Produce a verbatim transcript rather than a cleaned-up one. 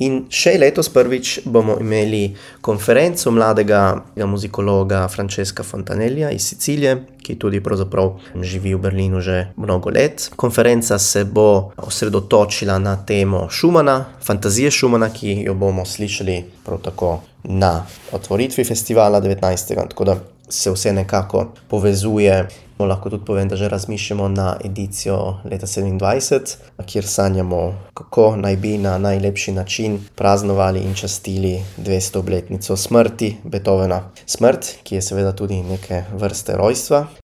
In še letos prvič bomo imeli konferenco mladega muzikologa Francesca Fontanellija iz Sicilije, ki tudi pravzaprav živi v Berlinu že mnogo let. Konferenca se bo osredotočila na temo Schumana, fantazije Schumana, ki jo bomo slišali prav tako na otvoritvi festivala devetnajstega tako da se vse nekako povezuje. Lahko tudi povem, da že razmišljamo na edicijo leta sedemindvajset, kjer sanjamo, kako naj bi na najlepši način praznovali in častili dvesto obletnico smrti Beethovna. Smrt, ki je seveda tudi neke vrste rojstva.